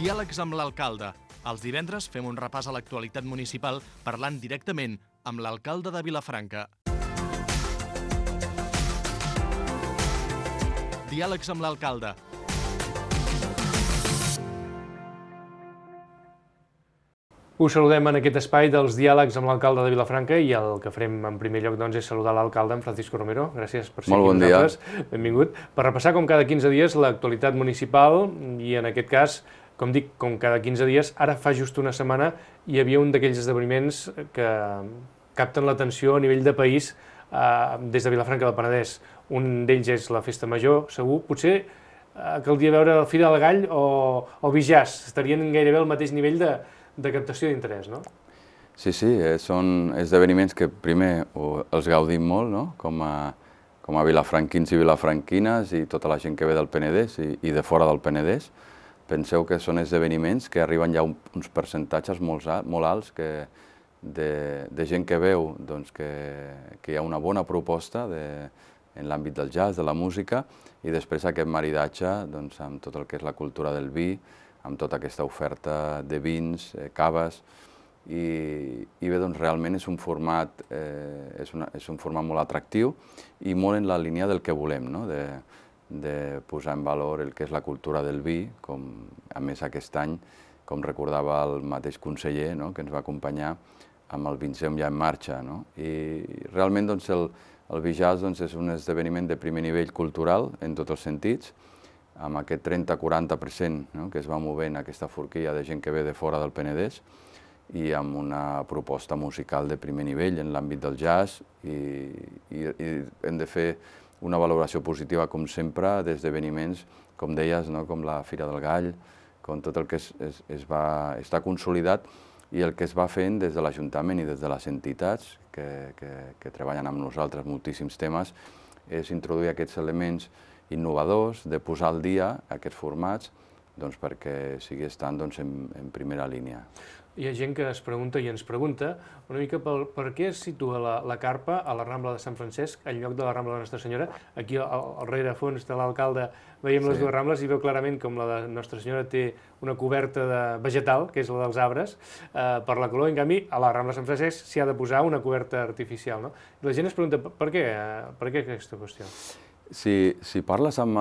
Diàlegs amb l'alcalde. Els divendres fem un repàs a l'actualitat municipal parlant directament amb l'alcalde de Vilafranca. Diàlegs amb l'alcalde. Us saludem en aquest espai dels diàlegs amb l'alcalde de Vilafranca i el que farem en primer lloc és saludar l'alcalde, en Francisco Romero. Gràcies per ser aquí amb nosaltres. Benvingut. Per repassar com cada 15 dies l'actualitat municipal i en aquest cas, com dic, com cada 15 dies, ara fa just una setmana hi havia un d'aquells esdeveniments que capten l'atenció a nivell de país des de Vilafranca del Penedès. Un d'ells és la Festa Major, segur. Potser caldria veure el Fira del Gall o Bijàs, estarien gairebé al mateix nivell de captació d'interès, no? Sí, són esdeveniments que primer els gaudim molt, no? Com a vilafranquins i vilafranquines i tota la gent que ve del Penedès i de fora del Penedès. Penseu que són esdeveniments que arriben ja a uns percentatges molt alts de gent que veu que hi ha una bona proposta en l'àmbit del jazz, de la música, i després aquest maridatge amb tot el que és la cultura del vi, amb tota aquesta oferta de vins, caves, i bé, realment és un format molt atractiu i molt en la línia del que volem, de posar en valor el que és la cultura del vi, com a més aquest any, com recordava el mateix conseller que ens va acompanyar amb el Vincem ja en marxa. I realment el Bijàs és un esdeveniment de primer nivell cultural en tots els sentits, amb aquest 30-40% que es va movent aquesta forquilla de gent que ve de fora del Penedès i amb una proposta musical de primer nivell en l'àmbit del jazz i hem de fer una valoració positiva, com sempre, d'esdeveniments, com deies, com la Fira del Gall, com tot el que està consolidat i el que es va fent des de l'Ajuntament i des de les entitats que treballen amb nosaltres moltíssims temes, és introduir aquests elements innovadors, de posar al dia aquests formats perquè sigui estant en primera línia. Hi ha gent que es pregunta i ens pregunta una mica per què es situa la carpa a la Rambla de Sant Francesc en lloc de la Rambla de Nostra Senyora. Aquí al rerefons de l'alcalde veiem les dues rambles i veu clarament com la de Nostra Senyora té una coberta vegetal, que és la dels arbres, per la calor. En canvi, a la Rambla de Sant Francesc s'hi ha de posar una coberta artificial. I la gent es pregunta per què aquesta qüestió. Si parles amb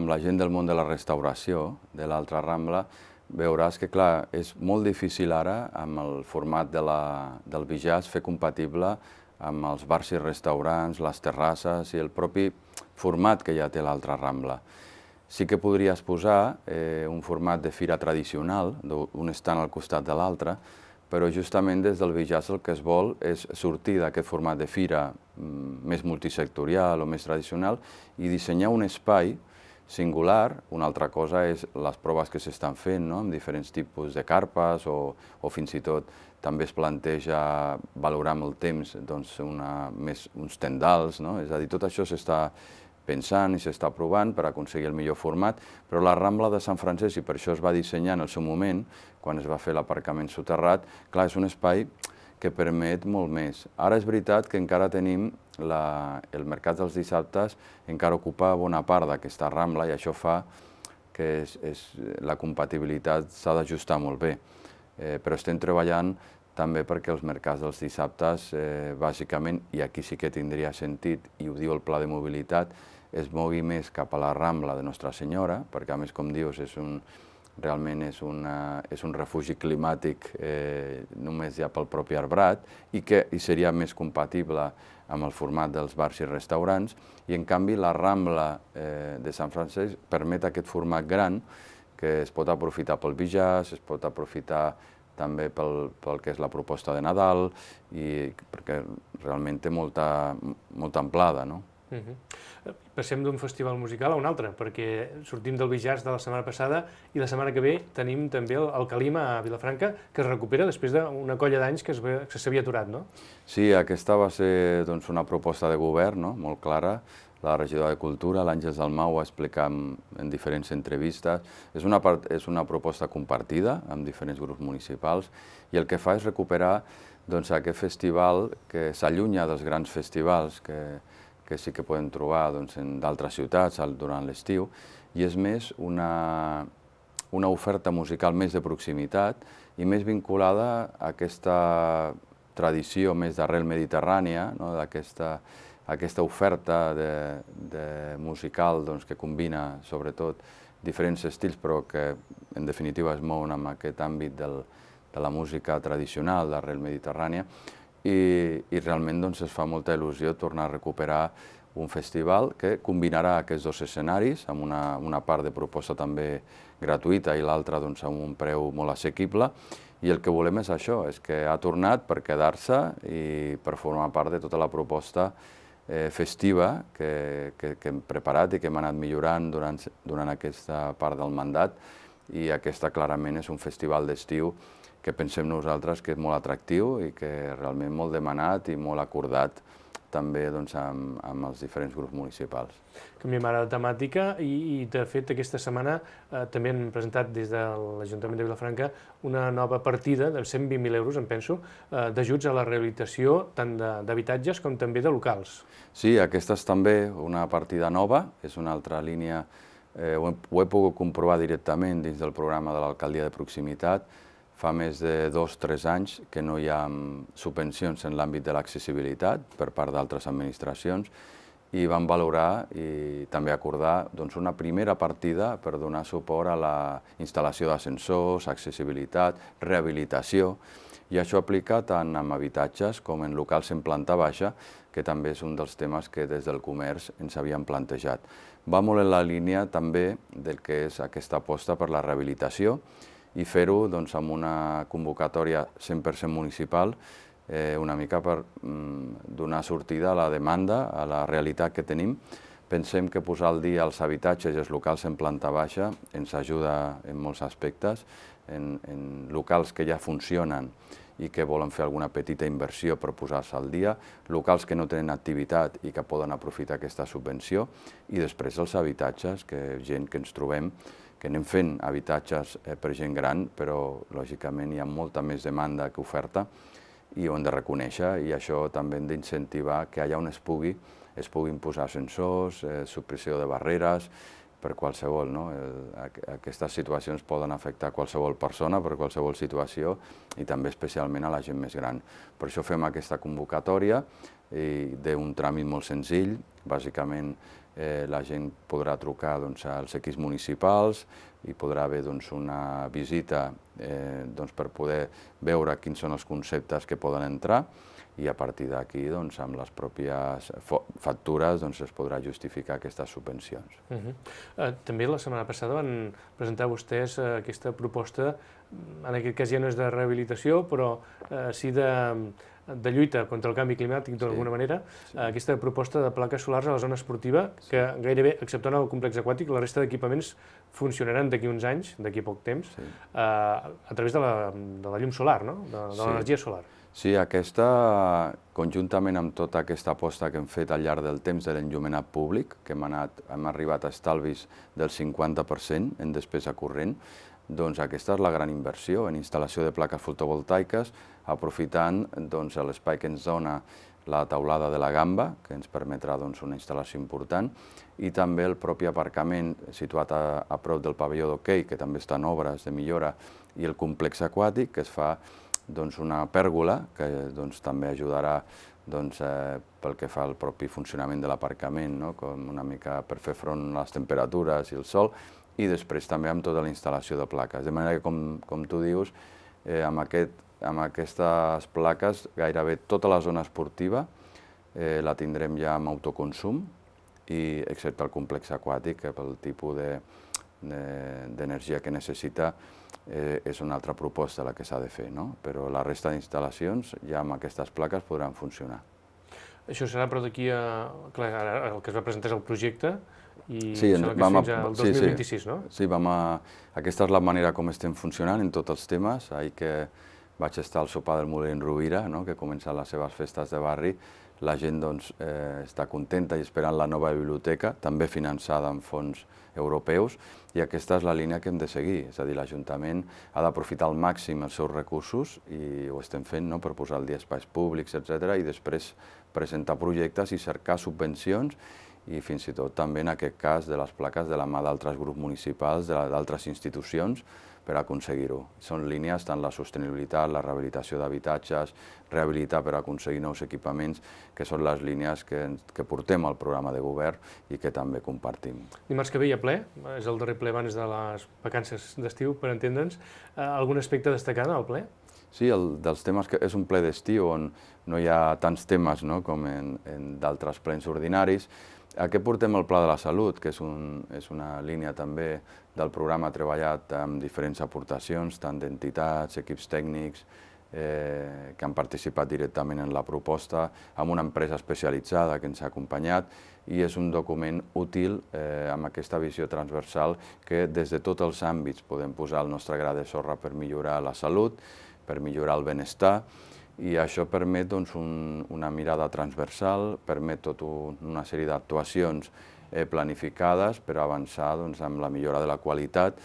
la gent del món de la restauració, de l'altra Rambla, veuràs que, clar, és molt difícil ara, amb el format del Bijàs, fer compatible amb els bars i restaurants, les terrasses i el propi format que ja té l'altra Rambla. Sí que podries posar un format de fira tradicional, un estant al costat de l'altre, però justament des del Bijàs el que es vol és sortir d'aquest format de fira més multisectorial o més tradicional i dissenyar un espai singular. Una altra cosa és les proves que s'estan fent amb diferents tipus de carpes o fins i tot també es planteja valorar amb el temps uns tendals, és a dir, tot això s'està pensant i s'està provant per aconseguir el millor format, però la Rambla de Sant Francesc, i per això es va dissenyar en el seu moment, quan es va fer l'aparcament soterrat, clar, és un espai que permet molt més. Ara és veritat que encara tenim el mercat dels dissabtes, encara ocupa bona part d'aquesta Rambla i això fa que la compatibilitat s'ha d'ajustar molt bé. Però estem treballant també perquè els mercats dels dissabtes, bàsicament, i aquí sí que tindria sentit, i ho diu el Pla de Mobilitat, es mogui més cap a la Rambla de Nostra Senyora, perquè a més, com dius, realment és un refugi climàtic només ja pel propi arbrat i seria més compatible amb el format dels bars i restaurants, i en canvi la Rambla de Sant Francesc permet aquest format gran que es pot aprofitar pel Bijàs, es pot aprofitar també pel que és la proposta de Nadal, perquè realment té molta amplada. Passem d'un festival musical a un altre, perquè sortim del Bijàs de la setmana passada i la setmana que ve tenim també el Calima a Vilafranca, que es recupera després d'una colla d'anys que s'havia aturat, no? Sí, aquesta va ser una proposta de govern molt clara. La regidora de Cultura, l'Àngels Dalmau, ho va explicar en diferents entrevistes. És una proposta compartida amb diferents grups municipals i el que fa és recuperar aquest festival que s'allunya dels grans festivals que sí que podem trobar en d'altres ciutats durant l'estiu, i és més una oferta musical més de proximitat i més vinculada a aquesta tradició més d'arrel mediterrània, aquesta oferta musical que combina sobretot diferents estils però que en definitiva es mouen en aquest àmbit de la música tradicional d'arrel mediterrània i realment es fa molta il·lusió tornar a recuperar un festival que combinarà aquests dos escenaris amb una part de proposta també gratuïta i l'altra amb un preu molt assequible i el que volem és això, és que ha tornat per quedar-se i per formar part de tota la proposta festiva que hem preparat i que hem anat millorant durant aquesta part del mandat i aquesta clarament és un festival d'estiu que pensem nosaltres que és molt atractiu i que realment molt demanat i molt acordat també amb els diferents grups municipals. Canviem ara de temàtica i de fet aquesta setmana també han presentat des de l'Ajuntament de Vilafranca una nova partida de 120.000 euros, em penso, d'ajuts a la rehabilitació tant d'habitatges com també de locals. Sí, aquesta és també una partida nova, és una altra línia, ho he pogut comprovar directament dins del programa de l'alcaldia de proximitat. Fa més de 2 o 3 anys que no hi ha subvencions en l'àmbit de l'accessibilitat per part d'altres administracions i vam valorar i també acordar una primera partida per donar suport a la instal·lació d'ascensors, accessibilitat, rehabilitació, i això aplica tant en habitatges com en locals en planta baixa, que també és un dels temes que des del comerç ens havíem plantejat. Va molt en la línia també del que és aquesta aposta per la rehabilitació i fer-ho amb una convocatòria 100% municipal, una mica per donar sortida a la demanda, a la realitat que tenim. Pensem que posar al dia els habitatges i els locals en planta baixa ens ajuda en molts aspectes, en locals que ja funcionen i que volen fer alguna petita inversió per posar-se al dia, locals que no tenen activitat i que poden aprofitar aquesta subvenció, i després els habitatges, gent que ens trobem, que anem fent habitatges per gent gran, però lògicament hi ha molta més demanda que oferta i ho hem de reconèixer i això també hem d'incentivar que allà on es puguin posar ascensors, supressió de barreres, per qualsevol. Aquestes situacions poden afectar qualsevol persona per qualsevol situació i també especialment a la gent més gran. Per això fem aquesta convocatòria d'un tràmit molt senzill. Bàsicament la gent podrà trucar als equips municipals i podrà haver una visita per poder veure quins són els conceptes que poden entrar i a partir d'aquí, amb les pròpies factures, es podrà justificar aquestes subvencions. També la setmana passada van presentar vostès aquesta proposta, en aquest cas ja no és de rehabilitació, però sí de lluita contra el canvi climàtic d'alguna manera, aquesta proposta de plaques solars a la zona esportiva, que gairebé, exceptuant el complex aquàtic, la resta d'equipaments funcionaran d'aquí uns anys, d'aquí poc temps, a través de la llum solar, de l'energia solar. Sí, aquesta, conjuntament amb tota aquesta aposta que hem fet al llarg del temps de l'enllumenat públic, que hem arribat a estalvis del 50% en despesa corrent, doncs aquesta és la gran inversió en instal·lació de plaques fotovoltaiques, aprofitant l'espai que ens dona la teulada de la Gamba, que ens permetrà una instal·lació important, i també el propi aparcament situat a prop del pavelló d'hoquei, que també està en obres de millora, i el complex aquàtic, que es fa una pèrgola, que també ajudarà pel que fa al propi funcionament de l'aparcament, com una mica per fer front a les temperatures i el sol, i després també amb tota la instal·lació de plaques. De manera que, com tu dius, amb aquestes plaques gairebé tota la zona esportiva la tindrem ja amb autoconsum, excepte el complex aquàtic, que pel tipus d'energia que necessita és una altra proposta la que s'ha de fer, però la resta d'instal·lacions ja amb aquestes plaques podran funcionar. Això serà però d'aquí a... Clar, ara el que es va presentar és el projecte i sí, sembla que és fins al 2026, no? Sí, aquesta és la manera com estem funcionant en tots els temes. Ahir que vaig estar al sopar del Molí en Rovira, que ha començat les seves festes de barri, la gent està contenta i esperant la nova biblioteca, també finançada amb fons europeus, i aquesta és la línia que hem de seguir. És a dir, l'Ajuntament ha d'aprofitar al màxim els seus recursos, i ho estem fent per posar al dia espais públics, etc., i després presentar projectes i cercar subvencions i fins i tot també en aquest cas de les plaques de la mà d'altres grups municipals, d'altres institucions, per aconseguir-ho. Són línies tant la sostenibilitat, la rehabilitació d'habitatges, rehabilitar per aconseguir nous equipaments, que són les línies que portem al programa de govern i que també compartim. Dimarts que ve hi ha ple, és el darrer ple abans de les vacances d'estiu, per entendre'ns. Algun aspecte a destacar en el ple? Sí, dels temes que és un ple d'estiu on no hi ha tants temes com en d'altres plens ordinaris. Aquí portem el Pla de la Salut, que és una línia també del programa treballat amb diferents aportacions, tant d'entitats, equips tècnics, que han participat directament en la proposta, amb una empresa especialitzada que ens ha acompanyat, i és un document útil amb aquesta visió transversal que des de tots els àmbits podem posar el nostre gra de sorra per millorar la salut, per millorar el benestar, i això permet una mirada transversal, permet tota una sèrie d'actuacions planificades per avançar amb la millora de la qualitat,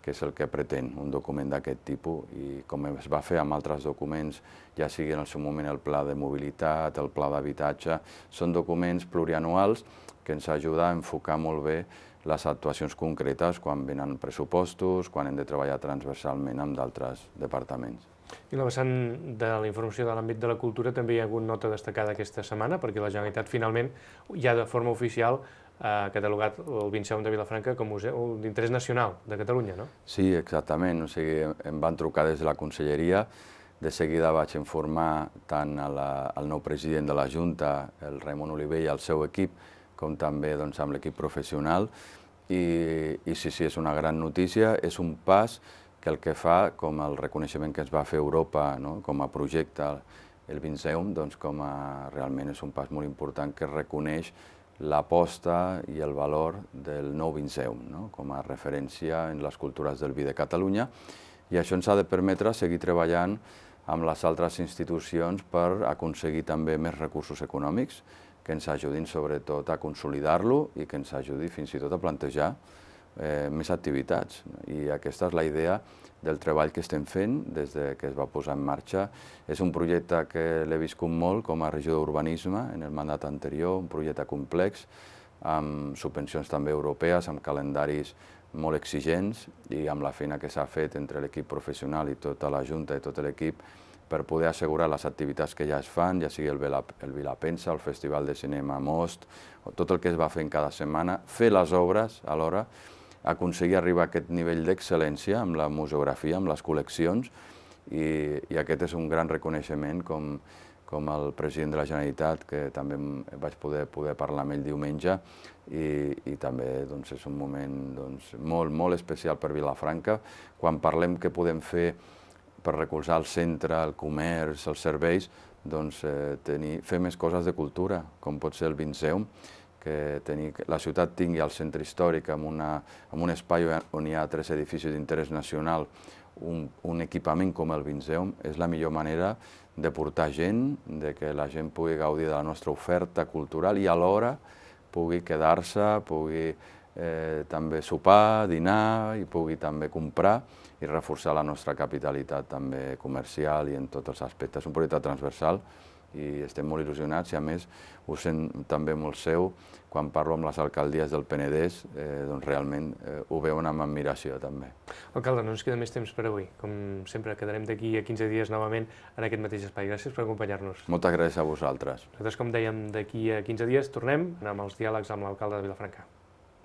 que és el que pretén un document d'aquest tipus, i com es va fer amb altres documents, ja sigui en el seu moment el pla de mobilitat, el pla d'habitatge, són documents plurianuals que ens ajuden a enfocar molt bé les actuacions concretes quan venen pressupostos, quan hem de treballar transversalment amb d'altres departaments. I la vessant de la informació de l'àmbit de la cultura també hi ha hagut nota destacada aquesta setmana, perquè la Generalitat finalment ja de forma oficial ha catalogat el Vinceum de Vilafranca com museu d'interès nacional de Catalunya, no? Sí, exactament. O sigui, em van trucar des de la Conselleria, de seguida vaig informar tant al nou president de la Junta, el Raimon Oliver, i al seu equip, com també amb l'equip professional, i sí, és una gran notícia, és un pas que el que fa, com el reconeixement que es va fer a Europa com a projecte, el Vinceum, realment és un pas molt important que reconeix l'aposta i el valor del nou Vinceum com a referència en les cultures del vi de Catalunya, i això ens ha de permetre seguir treballant amb les altres institucions per aconseguir també més recursos econòmics que ens ajudin sobretot a consolidar-lo i que ens ajudi fins i tot a plantejar més activitats. I aquesta és la idea del treball que estem fent des que es va posar en marxa. És un projecte que l'he viscut molt com a regió d'urbanisme en el mandat anterior, un projecte complex, amb subvencions també europees, amb calendaris molt exigents i amb la feina que s'ha fet entre l'equip professional i tota la Junta i tot l'equip per poder assegurar les activitats que ja es fan, ja sigui el Vilapensa, el Festival de Cinema Most, tot el que es va fer en cada setmana, fer les obres alhora, aconseguir arribar a aquest nivell d'excel·lència amb la museografia, amb les col·leccions, i aquest és un gran reconeixement com el president de la Generalitat, que també vaig poder parlar amb ell diumenge, i també és un moment molt especial per Vilafranca. Quan parlem què podem fer per recolzar el centre, el comerç, els serveis, fer més coses de cultura, com pot ser el Vinceum, que la ciutat tingui el centre històric amb un espai on hi ha 3 edificis d'interès nacional, un equipament com el Vinceum, és la millor manera de portar gent, de que la gent pugui gaudir de la nostra oferta cultural i alhora pugui quedar-se, pugui també sopar, dinar i pugui també comprar i reforçar la nostra capitalitat també comercial i en tots els aspectes. És un projecte transversal i estem molt il·lusionats i a més ho sent també molt seu quan parlo amb les alcaldies del Penedès, realment ho veuen amb admiració també. Alcalde, no ens queda més temps per avui. Com sempre, quedarem d'aquí a 15 dies novament en aquest mateix espai. Gràcies per acompanyar-nos. Moltes gràcies a vosaltres. Nosaltres, com dèiem, d'aquí a 15 dies tornem amb els diàlegs amb l'alcalde de Vilafranca.